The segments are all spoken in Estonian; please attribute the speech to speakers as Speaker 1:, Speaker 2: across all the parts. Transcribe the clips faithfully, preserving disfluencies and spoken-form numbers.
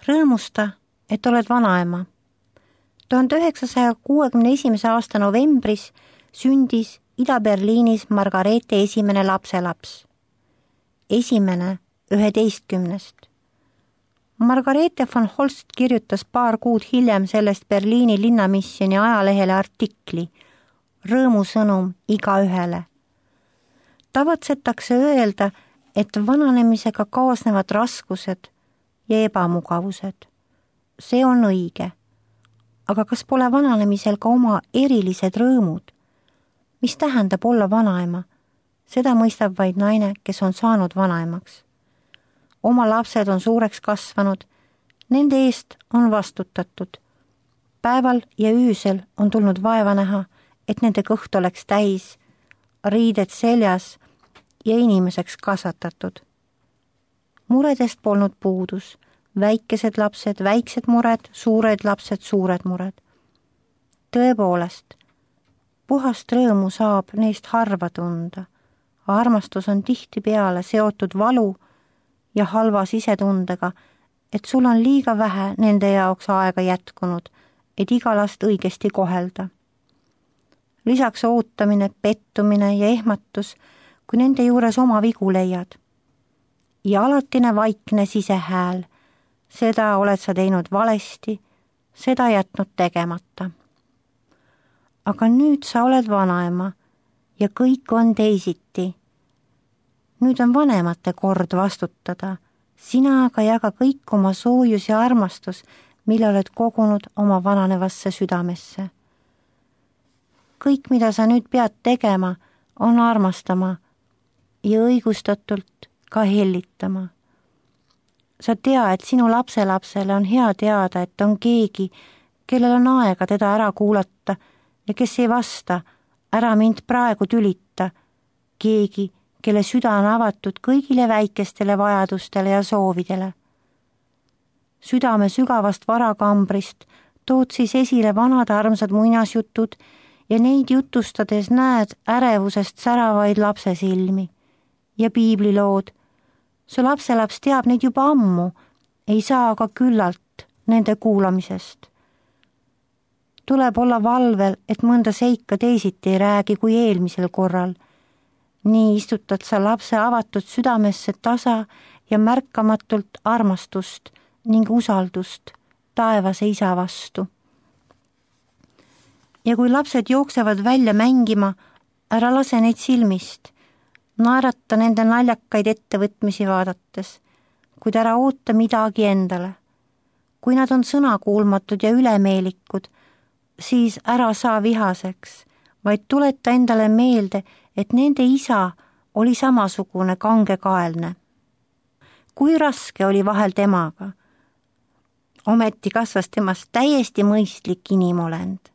Speaker 1: Rõõmusta, et oled vanaema. tuhande üheksasaja kuuekümne esimese aasta novembris sündis Ida-Berliinis Margareete esimene lapselaps. Esimene üheteistkümnest. Margareete von Holst kirjutas paar kuud hiljem sellest Berliini linnamisjoni ajalehele artikli Rõõmusõnum igaühele. Tavatsetakse öelda, et vananemisega kaasnevad raskused ja ebamugavused. See on õige. Aga kas pole vananemisel ka oma erilised rõõmud? Mis tähendab olla vanaema? Seda mõistab vaid naine, kes on saanud vanaemaks. Oma lapsed on suureks kasvanud, nende eest on vastutatud. Päeval ja öösel on tulnud vaeva näha, et nende kõht oleks täis, riided seljas ja inimeseks kasvatatud. Muredest polnud puudus, väikesed lapsed, väiksed mured, suured lapsed, suured mured. Tõepoolest, puhast rõõmu saab neist harva tunda. Armastus on tihtipeale seotud valu ja halva sisetundega, et sul on liiga vähe nende jaoks aega jätkunud, et iga last õigesti kohelda. Lisaks ootamine, pettumine ja ehmatus, kui nende juures oma vigu leiad. Ja alatine vaikne sisehääl, seda oled sa teinud valesti, seda jätnud tegemata. Aga nüüd sa oled vanaema ja kõik on teisiti. Nüüd on vanemate kord vastutada, sina aga jaga kõik oma soojus ja armastus, mille oled kogunud oma vananevasse südamesse. Kõik, mida sa nüüd pead tegema, on armastama ja õigustatult ka hellitama. Sa tea, et sinu lapselapsele on hea teada, et on keegi, kellel on aega teda ära kuulata ja kes ei vasta, ära mind praegu tülita, keegi, kelle süda on avatud kõigile väikestele vajadustele ja soovidele. Südame sügavast varakambrist tood siis esile vanad armsad muinasjutud ja neid jutustades näed ärevusest säravaid lapsesilmi ja piiblilood. Su lapselaps teab neid juba ammu, ei saa aga küllalt nende kuulamisest. Tuleb olla valvel, et mõnda seika teisiti ei räägi kui eelmisel korral. Nii istutad sa lapse avatud südamesse tasa ja märkamatult armastust ning usaldust taevase isa vastu. Ja kui lapsed jooksevad välja mängima, ära lase neid silmist. Naerata nende naljakaid ettevõtmisi vaadates, kuid ära oota midagi endale. Kui nad on sõnakuulmatud ja ülemeelikud, siis ära saa vihaseks, vaid tuleta endale meelde, et nende isa oli samasugune kangekaelne. Kui raske oli vahel temaga, ometi kasvas temast täiesti mõistlik inimolend.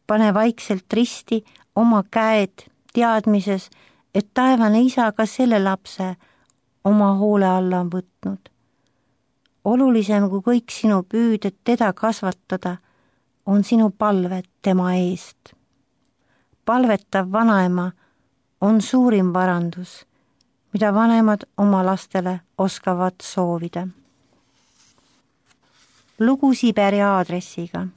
Speaker 1: Pane vaikselt risti oma käed teadmises, et taevane isa ka selle lapse oma hoole alla on võtnud. Olulisem kui kõik sinu püüded teda kasvatada, on sinu palved tema eest. Palvetav vanaema on suurim varandus, mida vanemad oma lastele oskavad soovida. Lugu Siberi aadressiga.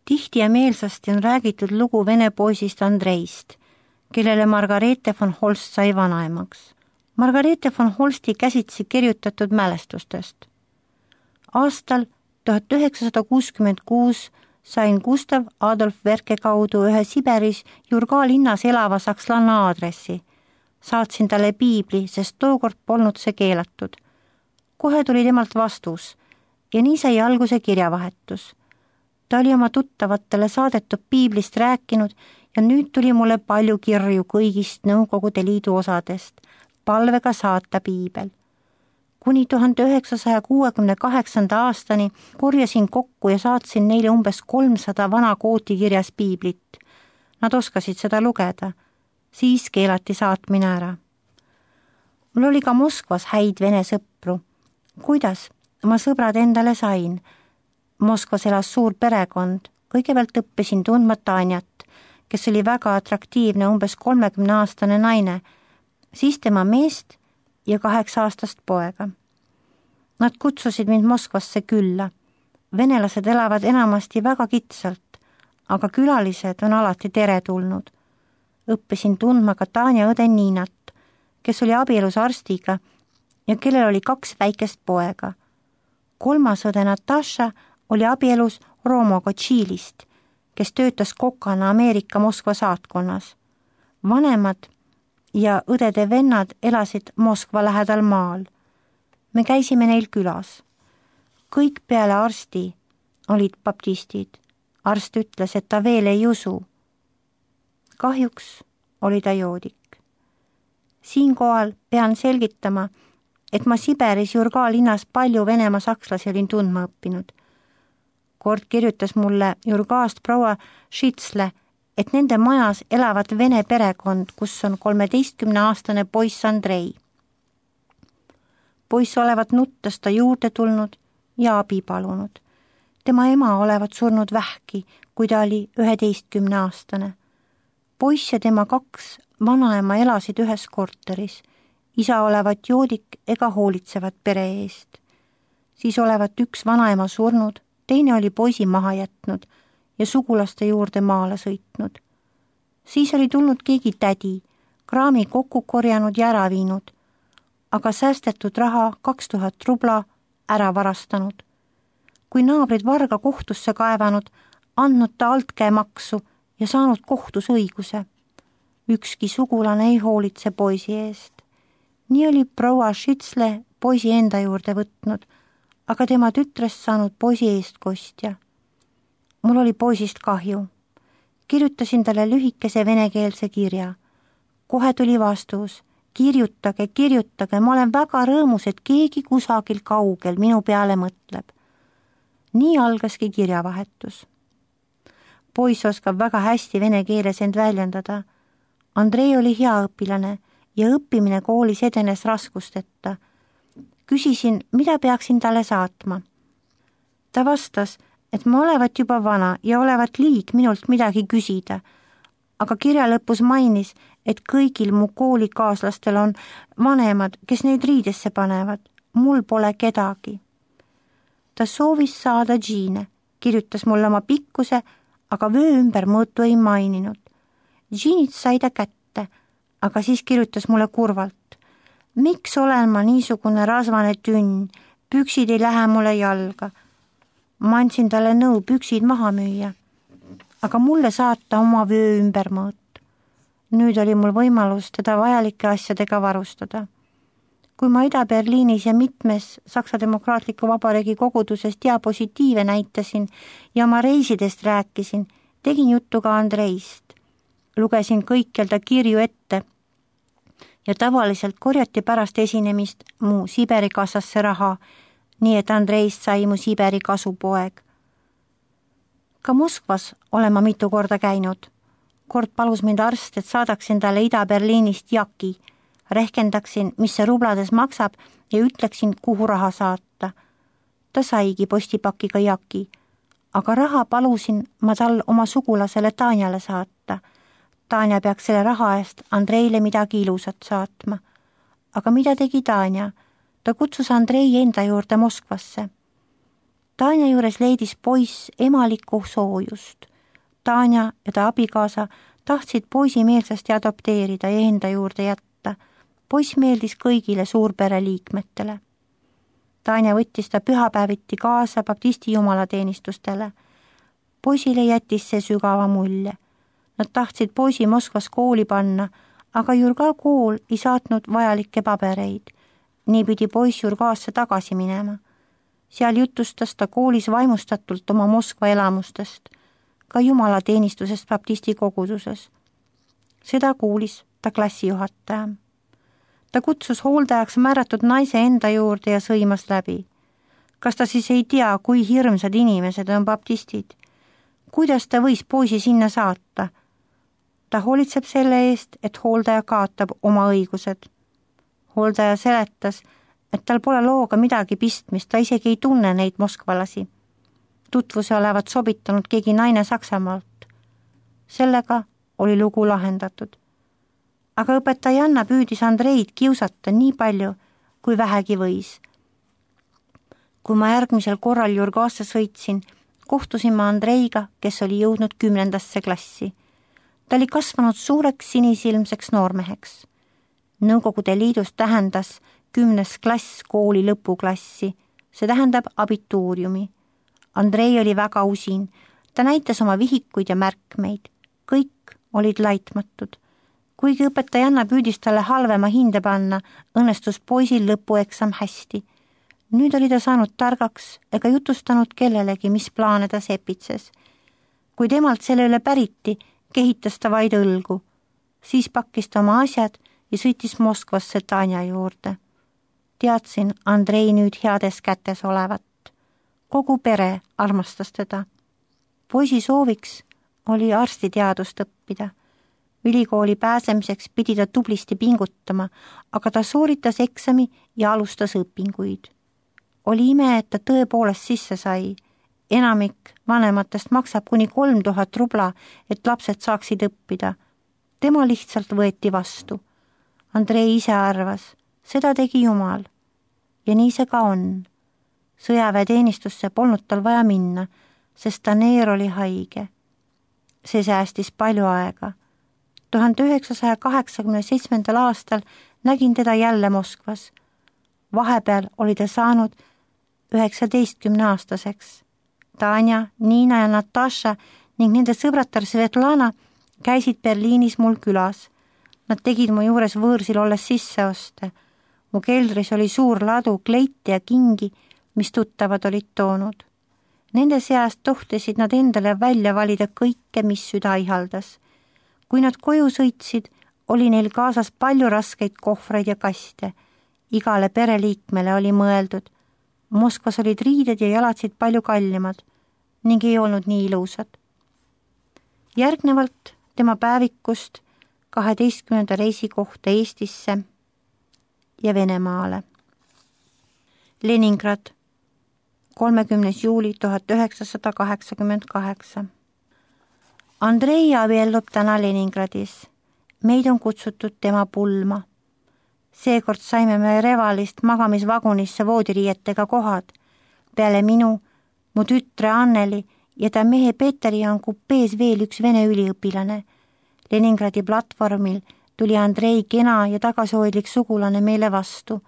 Speaker 1: Tihti ja meelsasti on räägitud lugu vene poisist Andreist, kellele Margareete von Holst sai vanaemaks. Margareete von Holsti käsitsi kirjutatud mälestustest. Aastal tuhat üheksasada kuuskümmend kuus sain Gustav Adolf Werke kaudu ühe Siberis Jurga linnas elava sakslanna aadressi. Saatsin talle piibli, sest tookord polnud see keelatud. Kohe tuli temalt vastus ja nii sai alguse kirjavahetus. Ta oli oma tuttavatele saadetud piiblist rääkinud ja nüüd tuli mulle palju kirju kõigist Nõukogude Liidu osadest, palvega saata piibel. Kuni tuhande üheksasaja kuuekümne kaheksanda aastani korjasin kokku ja saatsin neile umbes kolmsada vana kootikirjas piiblit. Nad oskasid seda lugeda. Siis keelati saatmine ära. Mul oli ka Moskvas häid vene sõpru. Kuidas? Ma sõbrad endale sain. Moskvas elas suur perekond. Kõigepealt õppisin tundma Tanjat, kes oli väga atraktiivne umbes kolmekümne aastane naine, siis tema meest ja kaheksa aastast poega. Nad kutsusid mind Moskvasse külla. Venelased elavad enamasti väga kitsalt, aga külalised on alati teretulnud. Õppisin tundma ka Tanja õde Niinat, kes oli abielus arstiga ja kellel oli kaks väikest poega. Kolmas õde Natasha oli abielus Romoga Tšiilist, kes töötas kokana Ameerika Moskva saatkonnas. Vanemad ja õdede vennad elasid Moskva lähedal maal. Me käisime neil külas. Kõik peale arsti olid baptistid. Arst ütles, et ta veel ei usu. Kahjuks oli ta joodik. Siinkohal pean selgitama, et ma Siberis Jurga linnas palju Venemaa sakslasi olin tundma õppinud. Kord kirjutas mulle Jurgaast proua Šitsle, et nende majas elavad vene perekond, kus on kolmeteistkümneaastane poiss Andrei. Poiss olevat nuttes ta juurde tulnud ja abi palunud. Tema ema olevat surnud vähki, kui ta oli üheteistkümneaastane. Poiss ja tema kaks vanaema elasid ühes korteris. Isa olevat joodik ega hoolitsevat pere eest. Siis olevat üks vanaema surnud, teine oli poisi maha jätnud ja sugulaste juurde maale sõitnud. Siis oli tulnud keegi tädi, kraami kokku korjanud ja ära viinud, aga säästetud raha kaks tuhat rubla ära varastanud. Kui naabrid varga kohtusse kaevanud, andnud ta altkäemaksu ja saanud kohtus õiguse. Ükski sugulane ei hoolitse poisi eest. Nii oli proua Šitsle poisi enda juurde võtnud, aga tema tütrest saanud poisi eest kostja. Mul oli poisist kahju. Kirjutasin talle lühikese venekeelse kirja. Kohe tuli vastus. Kirjutage, kirjutage, ma olen väga rõõmus, et keegi kusagil kaugel minu peale mõtleb. Nii algaski kirjavahetus. Poiss oskab väga hästi vene keeles end väljendada. Andrei oli hea õpilane ja õppimine koolis edenes raskusteta. Küsisin, mida peaksin talle saatma. Ta vastas, et ma olevat juba vana ja olevat liig minult midagi küsida, aga kirja lõpus mainis, et kõigil mu koolikaaslastel on vanemad, kes neid riidesse panevad. Mul pole kedagi. Ta soovis saada džiine, kirjutas mulle oma pikkuse, aga vöö ümber mõõtu ei maininud. Džiinid sai ta kätte, aga siis kirjutas mulle kurvalt. Miks olen ma niisugune rasvane tünn, püksid ei lähe mulle jalga. Ma andsin talle nõu püksid maha müüa, aga mulle saata oma vöö ümber mõõt. Nüüd oli mul võimalus teda vajalike asjadega varustada. Kui ma Ida-Berliinis ja mitmes Saksa Demokraatliku Vabariigi koguduses diapositiive näitasin ja oma reisidest rääkisin, tegin juttu ka Andreist. Lugesin kõikjal ta kirju ette ja tavaliselt korjati pärast esinemist mu Siberi kassasse raha, nii et Andreist sai mu Siberi kasupoeg. Ka Moskvas olen ma mitu korda käinud. Kord palus mind arst, et saadaksin talle Ida-Berliinist jaki, rehkendaksin, mis see rublades maksab ja ütleksin, kuhu raha saata. Ta saigi postipakiga jaki, aga raha palusin ma tal oma sugulasele Tanjale saata. Tanja peaks selle raha eest Andreile midagi ilusat saatma. Aga mida tegi Tanja? Ta kutsus Andrei enda juurde Moskvasse. Tanja juures leidis poiss emalikku soojust. Tanja ja ta abikaasa tahtsid poisi meelsasti adopteerida ja enda juurde jätta. Poiss meeldis kõigile suurpere liikmetele. Tanja võttis ta pühapäeviti kaasa baptisti jumalateenistustele. Poisile jättis see sügava mulje. Nad tahtsid poisi Moskvas kooli panna, aga Jurga kool ei saatnud vajalikke pabereid. Nii pidi poiss Jurgaasse tagasi minema. Seal jutustas ta koolis vaimustatult oma Moskva elamustest, ka jumalateenistusest baptisti koguduses. Seda kuulis ta klassijuhataja. Ta kutsus hooldajaks määratud naise enda juurde ja sõimas läbi. Kas ta siis ei tea, kui hirmsad inimesed on baptistid? Kuidas ta võis poisi sinna saata? Ta hoolitseb selle eest, et hooldaja kaotab oma õigused. Hooldaja seletas, et tal pole looga midagi pistmist, ta isegi ei tunne neid moskvalasi. Tutvuse olevat sobitanud keegi naine Saksamaalt. Sellega oli lugu lahendatud. Aga õpetajanna püüdis Andreid kiusata nii palju, kui vähegi võis. kui ma järgmisel korral Jurgasse sõitsin, kohtusin ma Andreiga, kes oli jõudnud kümnendasse klassi. Ta oli kasvanud suureks sinisilmseks noormeheks. Nõukogude Liidus tähendas kümnes klass kooli lõpuklassi, see tähendab abituuriumi. Andrei oli väga usin, ta näitas oma vihikuid ja märkmeid, kõik olid laitmatud. Kuigi õpetajanna püüdis talle halvema hinde panna, õnnestus poisil lõpueksam hästi. Nüüd oli ta saanud targaks ega jutustanud kellelegi, mis plaane ta sepitses. Kui temalt selle üle päriti, kehitas ta vaid õlgu. Siis pakkis ta oma asjad ja sõitis Moskvasse Tanja juurde. Teadsin Andrei nüüd heades kätes olevat. Kogu pere armastas teda. Poisi sooviks oli arstiteadust õppida. Ülikooli pääsemiseks pidi ta tublisti pingutama, aga ta sooritas eksami ja alustas õpinguid. Oli ime, et ta tõepoolest sisse sai. Enamik vanematest maksab kuni kolm tuhat rubla, et lapsed saaksid õppida. Tema lihtsalt võeti vastu. Andrei ise arvas, seda tegi Jumal. Ja nii see ka on. Sõjaväeteenistusse polnud tal vaja minna, sest Taneer oli haige. See säästis palju aega. tuhande üheksasaja kaheksakümne seitsmendal aastal nägin teda jälle Moskvas. Vahepeal oli ta saanud üheksateistkümne aastaseks. Tanja, Niina ja Natasha ning nende sõbratar Svetlana käisid Berliinis mul külas. Nad tegid mu juures võõrsil olles sisseoste. Mu keldris oli suur ladu kleiti ja kingi, mis tuttavad olid toonud. Nende seast tohtisid nad endale välja valida kõike, mis süda ihaldas. Kui nad koju sõitsid, oli neil kaasas palju raskeid kohvreid ja kaste. Igale pereliikmele oli mõeldud. Moskvas olid riided ja jalatsid palju kallimad ning ei olnud nii ilusad. Järgnevalt tema päevikust kaheteistkümnenda reisi kohta Eestisse ja Venemaale. Leningrad, kolmekümnes juuli tuhat üheksasada kaheksakümmend kaheksa. Andrei abiellub täna Leningradis. Meid on kutsutud tema pulma. Seekord saime me Revalist magamisvagunisse voodiriietega kohad. Peale minu, mu tütre Anneli ja ta mehe Peteri on kupees veel üks vene üliõpilane. Leningradi platvormil tuli Andrei kena ja tagasihoidlik sugulane meile vastu.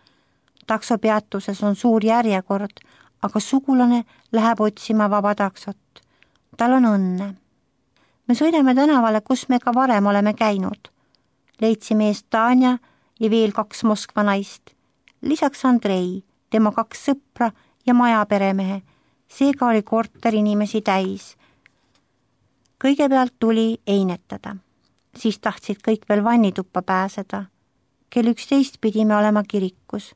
Speaker 1: Taksopeatuses on suur järjekord, aga sugulane läheb otsima vaba taksot. Tal on õnne. Me sõidame tänavale, kus me ka varem oleme käinud. Leidsime eest Tanja ja veel kaks Moskva naist. Lisaks Andrei, tema kaks sõpra ja maja peremehe. Seega oli korter inimesi täis. Kõigepealt tuli einetada. Siis tahtsid kõik veel vannituppa pääseda. Kell üksteist pidime olema kirikus.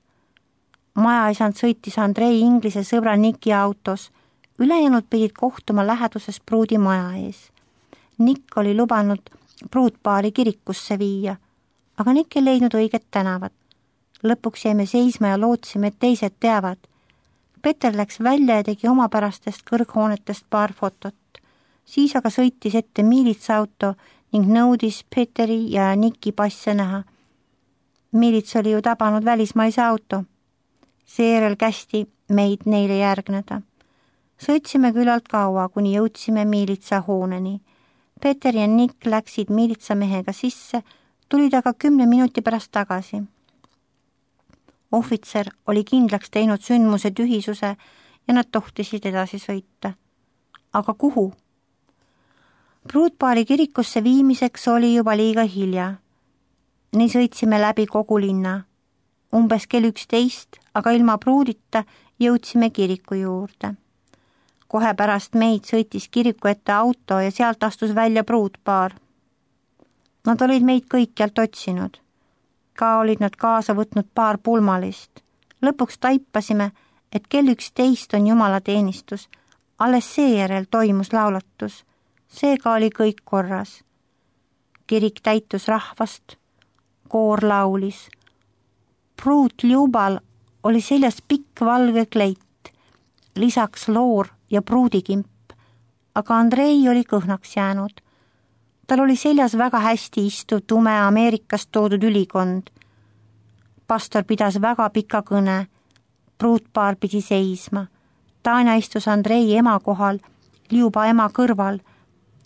Speaker 1: Majaisand sõitis Andrei inglise sõbra Niki autos. Ülejäänud pidid kohtuma läheduses pruudi maja ees. Nick oli lubanud pruutpaari kirikusse viia, aga Nick ei leidnud õiget tänavat. Lõpuks jäime seisma ja lootsime, et teised teavad. Peter läks välja ja tegi omapärastest kõrghoonetest paar fotot. Siis aga sõitis ette miilitsauto ning nõudis Peteri ja Nicki passe näha. Miilits oli ju tabanud välismaise auto. Seejärel kästi meid neile järgneda. Sõitsime küllalt kaua, kuni jõudsime miilitsa hooneni. Peter ja Nick läksid miilitsamehega sisse, tulid aga kümne minuti pärast tagasi. Ohvitser oli kindlaks teinud sündmuse tühisuse ja nad tohtisid edasi sõita. Aga kuhu? Pruutpaari kirikusse viimiseks oli juba liiga hilja. Nii sõitsime läbi kogu linna. Umbes kell üksteist, aga ilma pruudita jõudsime kiriku juurde. Kohe pärast meid sõitis kiriku ette auto ja sealt astus välja pruutpaar. Nad olid meid kõikjalt otsinud. Ka olid nad kaasa võtnud paar pulmalist. Lõpuks taipasime, et kell üksteist on jumalateenistus. Alles seejärel toimus laulatus. Seega oli kõik korras. Kirik täitus rahvast. Koor laulis. Pruut Ljubal oli seljas pikk valge kleit. Lisaks loor ja pruudikimp, aga Andrei oli kõhnaks jäänud. Tal oli seljas väga hästi istuv tume Ameerikast toodud ülikond. Pastor pidas väga pika kõne. Pruutpaar pidi seisma. Tanja istus Andrei ema kohal, Ljuba ema kõrval,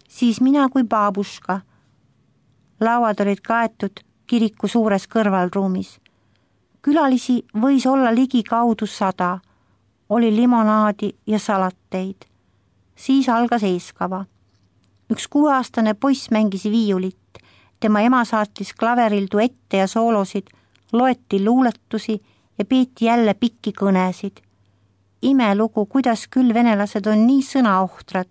Speaker 1: siis mina kui baabuška. Lauad olid kaetud kiriku suures kõrvalruumis. Külalisi võis olla ligi kaudu sada. Oli limonaadi ja salateid. Siis algas eeskava. Üks kuueaastane poiss mängis viiulit. Tema ema saatis klaveril duette ja soolosid, loeti luuletusi ja peeti jälle pikki kõnesid. Imelugu, kuidas küll venelased on nii sõnaohtrad.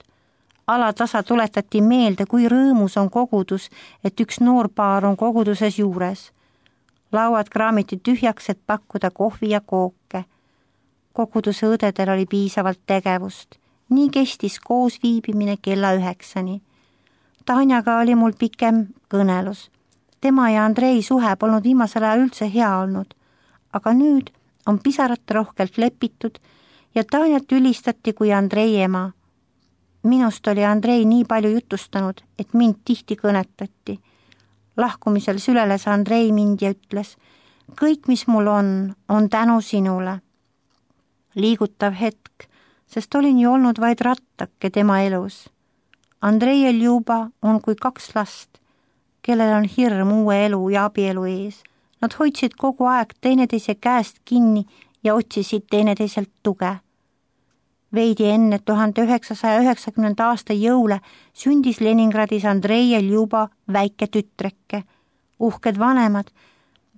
Speaker 1: Alatasa tuletati meelde, kui rõõmus on kogudus, et üks noor paar on koguduses juures. Lauad kraamiti tühjaks, et pakkuda kohvi ja kooke. Koguduse õdedel oli piisavalt tegevust. Nii kestis koos viibimine kella üheksani. Tanjaga oli mul pikem kõnelus. Tema ja Andrei suhe polnud viimasel ajal üldse hea olnud, aga nüüd on pisarat rohkelt lepitud ja Tanjat ülistati kui Andrei ema. Minust oli Andrei nii palju jutustanud, et mind tihti kõnetati. Lahkumisel süleles Andrei mind ja ütles, kõik, mis mul on, on tänu sinule. Liigutav hetk, sest olin ju olnud vaid rattake tema elus. Andrei ja Ljuba on kui kaks last, kellel on hirm uue elu ja abielu ees. Nad hoidsid kogu aeg teineteise käest kinni ja otsisid teineteiselt tuge. Veidi enne tuhande üheksasaja üheksakümnenda aasta jõule sündis Leningradis Andrei ja Ljuba väike tütreke. Uhked vanemad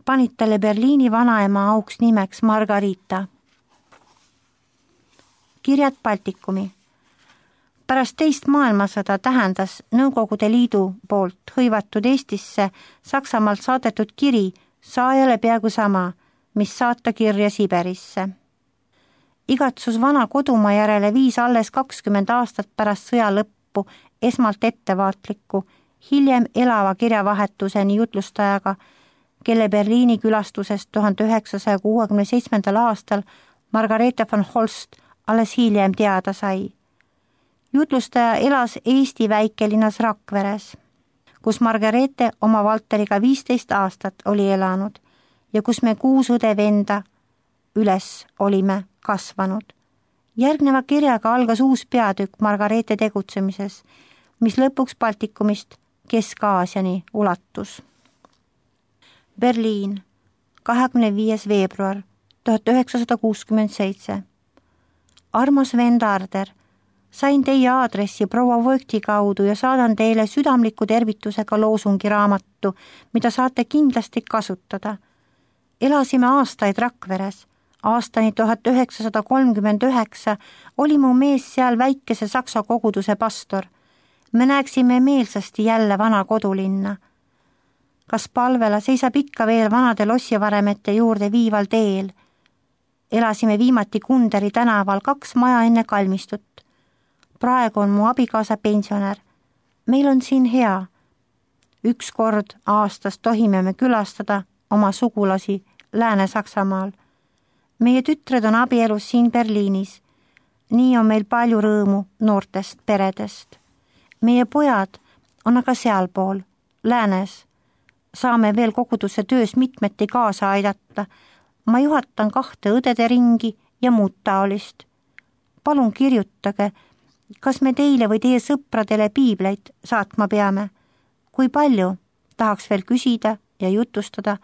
Speaker 1: panid talle Berliini vanaema auks nimeks Margarita. Kirjad Baltikumi. Pärast teist maailmasõda tähendas Nõukogude Liidu poolt hõivatud Eestisse Saksamaalt saadetud kiri saajale peaaegu sama, mis saata kirja Siberisse. Igatsus vana kodumaa järele viis alles kakskümmend aastat pärast sõja lõppu esmalt ettevaatliku, hiljem elava kirjavahetuseni jutlustajaga, kelle Berliini külastusest tuhande üheksasaja kuuekümne seitsmendal aastal Margareete von Holst alles hiljem teada sai. Jutlustaja elas Eesti väikelinnas Rakveres, kus Margareete oma Valteriga viisteist aastat oli elanud ja kus me kuus õde venda üles olime kasvanud. Järgneva kirjaga algas uus peatükk Margareete tegutsemises, mis lõpuks Baltikumist Kesk-Aasiani ulatus. Berliin, kahekümne viies veebruar tuhat üheksasada kuuskümmend seitse. Armas vend Arder, sain teie aadressi proua Vogti kaudu ja saadan teile südamliku tervitusega loosungi raamatu, mida saate kindlasti kasutada. Elasime aastaid Rakveres. Aastani tuhat üheksasada kolmkümmend üheksa oli mu mees seal väikese saksa koguduse pastor. Me näeksime meelsasti jälle vana kodulinna. Kas palvela seisab ikka veel vanade lossivaremete juurde viival teel? Elasime viimati Kunderi tänaval kaks maja enne kalmistut. Praegu on mu abikaasa pensionär. Meil on siin hea. Üks kord aastas tohime me külastada oma sugulasi Lääne-Saksamaal. Meie tütred on abielus siin Berliinis. Nii on meil palju rõõmu noortest peredest. Meie pojad on aga sealpool, Läänes. Saame veel koguduse töös mitmeti kaasa aidata. Ma juhatan kahte õdede ringi ja muud taolist. Palun kirjutage, kas me teile või teie sõpradele piibleid saatma peame. Kui palju, tahaks veel küsida ja jutustada,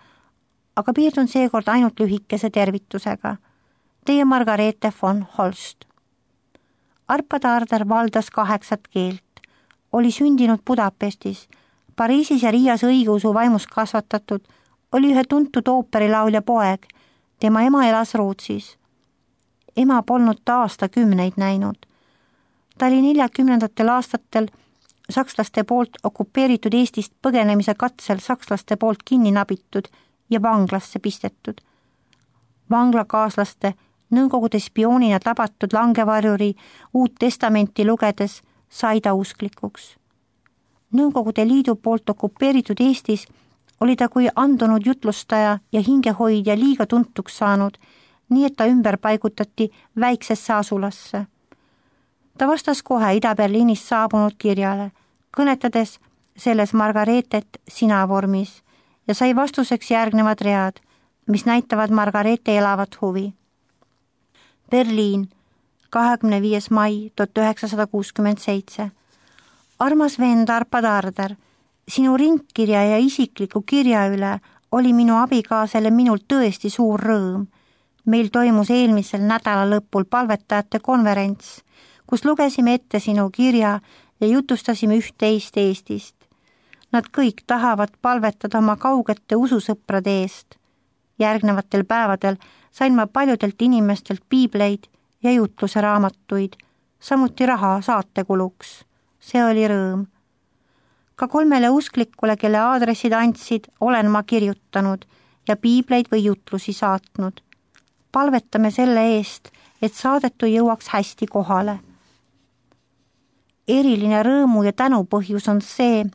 Speaker 1: aga piirdun seekord ainult lühikese tervitusega. Teie Margareete von Holst. Arpad Arder valdas kaheksat keelt. Oli sündinud Budapestis, Pariisis ja Riias õigeusu vaimus kasvatatud, oli ühe tuntud ooperilaulja poeg. Tema ema elas Rootsis. Ema polnud ta aastakümneid näinud. Ta oli neljakümnendatel aastatel sakslaste poolt okupeeritud Eestist põgenemise katsel sakslaste poolt kinni nabitud ja vanglasse pistetud. Vanglakaaslaste Nõukogude spioonina tabatud langevarjuri Uut Testamenti lugedes sai ta usklikuks. Nõukogude Liidu poolt okupeeritud Eestis oli ta kui andunud jutlustaja ja hingehoidja liiga tuntuks saanud, nii et ta ümber paigutati väiksesse asulasse. Ta vastas kohe Ida-Berliinist saabunud kirjale, kõnetades selles Margareetet sina vormis ja sai vastuseks järgnevad read, mis näitavad Margareete elavat huvi. Berliin, kahekümne viies mai tuhat üheksasada kuuskümmend seitse. Armas vend Arpa Tarder, sinu ringkirja ja isikliku kirja üle oli minu abikaasale minult tõesti suur rõõm. Meil toimus eelmisel nädala lõpul palvetajate konverents, kus lugesime ette sinu kirja ja jutustasime üht-teist Eestist. Nad kõik tahavad palvetada oma kaugete ususõprade eest. Järgnevatel päevadel sain ma paljudelt inimestelt piibleid ja jutluse raamatuid, samuti raha saatekuluks. See oli rõõm. Ka kolmele usklikule, kelle aadressid andsid, olen ma kirjutanud ja piibleid või jutlusi saatnud. Palvetame selle eest, et saadetu jõuaks hästi kohale. Eriline rõõmu ja tänupõhjus on see,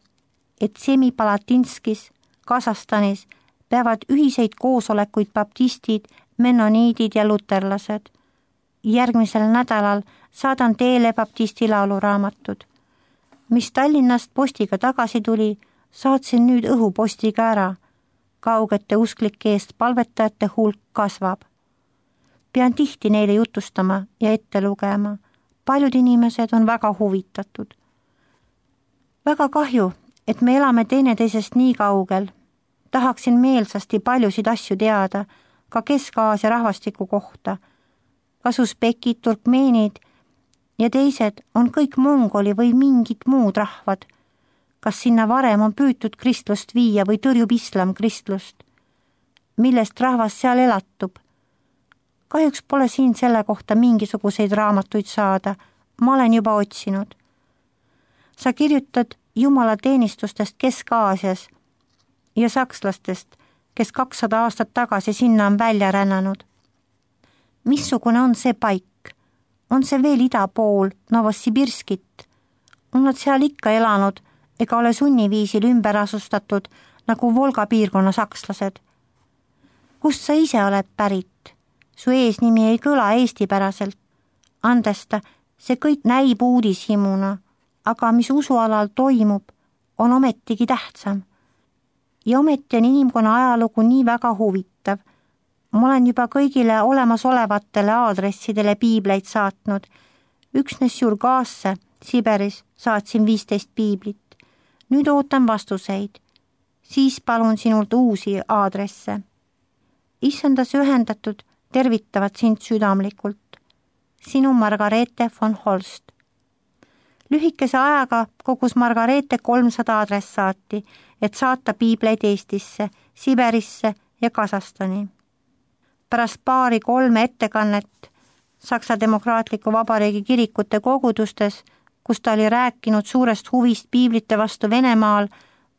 Speaker 1: et Semipalatinskis, Kasahstanis peavad ühiseid koosolekuid baptistid, mennoniidid ja luterlased. Järgmisel nädalal saadan teele baptisti lauluraamatud. Mis Tallinnast postiga tagasi tuli, saatsin nüüd õhupostiga ära. Kaugete usklike eest palvetajate hulk kasvab. Pean tihti neile jutustama ja ette lugema. Paljud inimesed on väga huvitatud. Väga kahju, et me elame teineteisest nii kaugel. Tahaksin meelsasti paljusid asju teada, ka Kesk-Aasia rahvastiku kohta. Kas usbekid, turkmeenid ja teised on kõik mongoli või mingid muud rahvad. Kas sinna varem on püütud kristlust viia või tõrjub islam kristlust? Millest rahvas seal elatub? Kahjuks pole siin selle kohta mingisuguseid raamatuid saada, ma olen juba otsinud. Sa kirjutad jumalateenistustest Kesk-Aasias ja sakslastest, kes kakssada aastat tagasi sinna on välja rännanud. Missugune on see paik? On see veel ida pool Novosibirskit? On nad seal ikka elanud ega ole sunniviisil ümber asustatud nagu Volga piirkonna sakslased? Kust sa ise oled pärit? Su eesnimi ei kõla eestipäraselt. Andesta, see kõik näib uudishimuna, aga mis usualal toimub, on ometigi tähtsam. Ja ometi on inimkonna ajalugu nii väga huvitav. Ma olen juba kõigile olemasolevatele aadressidele piibleid saatnud. Üksnes Jurgaasse, Siberis, saatsin viisteist piiblit. Nüüd ootan vastuseid. Siis palun sinult uusi aadresse. Issandas ühendatud tervitavad sind südamlikult. Sinu Margareete von Holst. Lühikese ajaga kogus Margareete kolmsada adressaati, et saata piibleid Eestisse, Siberisse ja Kasahstani. Pärast paari kolme ettekannet Saksa Demokraatliku Vabariigi kirikute kogudustes, kus ta oli rääkinud suurest huvist piiblite vastu Venemaal,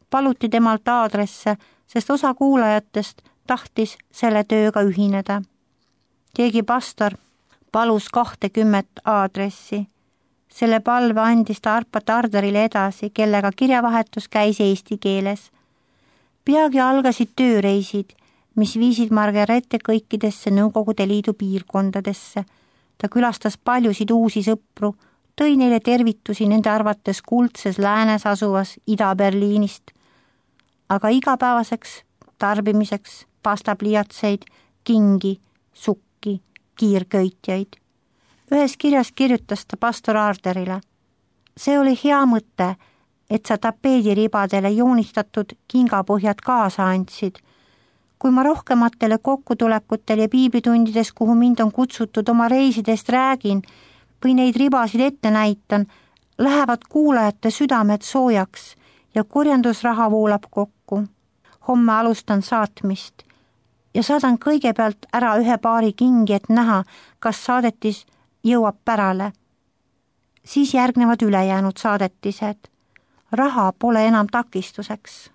Speaker 1: paluti temalt aadresse, sest osa kuulajatest tahtis selle tööga ühineda. Keegi pastor palus kahtekümmet aadressi. Selle palve andis ta Arpa Tarderile edasi, kellega kirjavahetus käis eesti keeles. Peagi algasid tööreisid, mis viisid Margareete kõikidesse Nõukogude Liidu piirkondadesse. Ta külastas paljusid uusi sõpru, tõi neile tervitusi nende arvates kuldses läänes asuvas Ida-Berliinist. Aga igapäevaseks tarbimiseks pastapliiatseid, kingi, sukki, kiirköitjaid. Ühes kirjas kirjutas ta pastor Arderile. See oli hea mõte, et sa tapeediribadele joonistatud kingapõhjad kaasa andsid. Kui ma rohkematele kokkutulekutel ja piiblitundides, kuhu mind on kutsutud oma reisidest räägin või neid ribasid ette näitan, lähevad kuulajate südamed soojaks ja korjandusraha voolab kokku. Homme alustan saatmist ja saadan kõigepealt ära ühe paari kingi, et näha, kas saadetis jõuab pärale. Siis järgnevad ülejäänud saadetised. Raha pole enam takistuseks.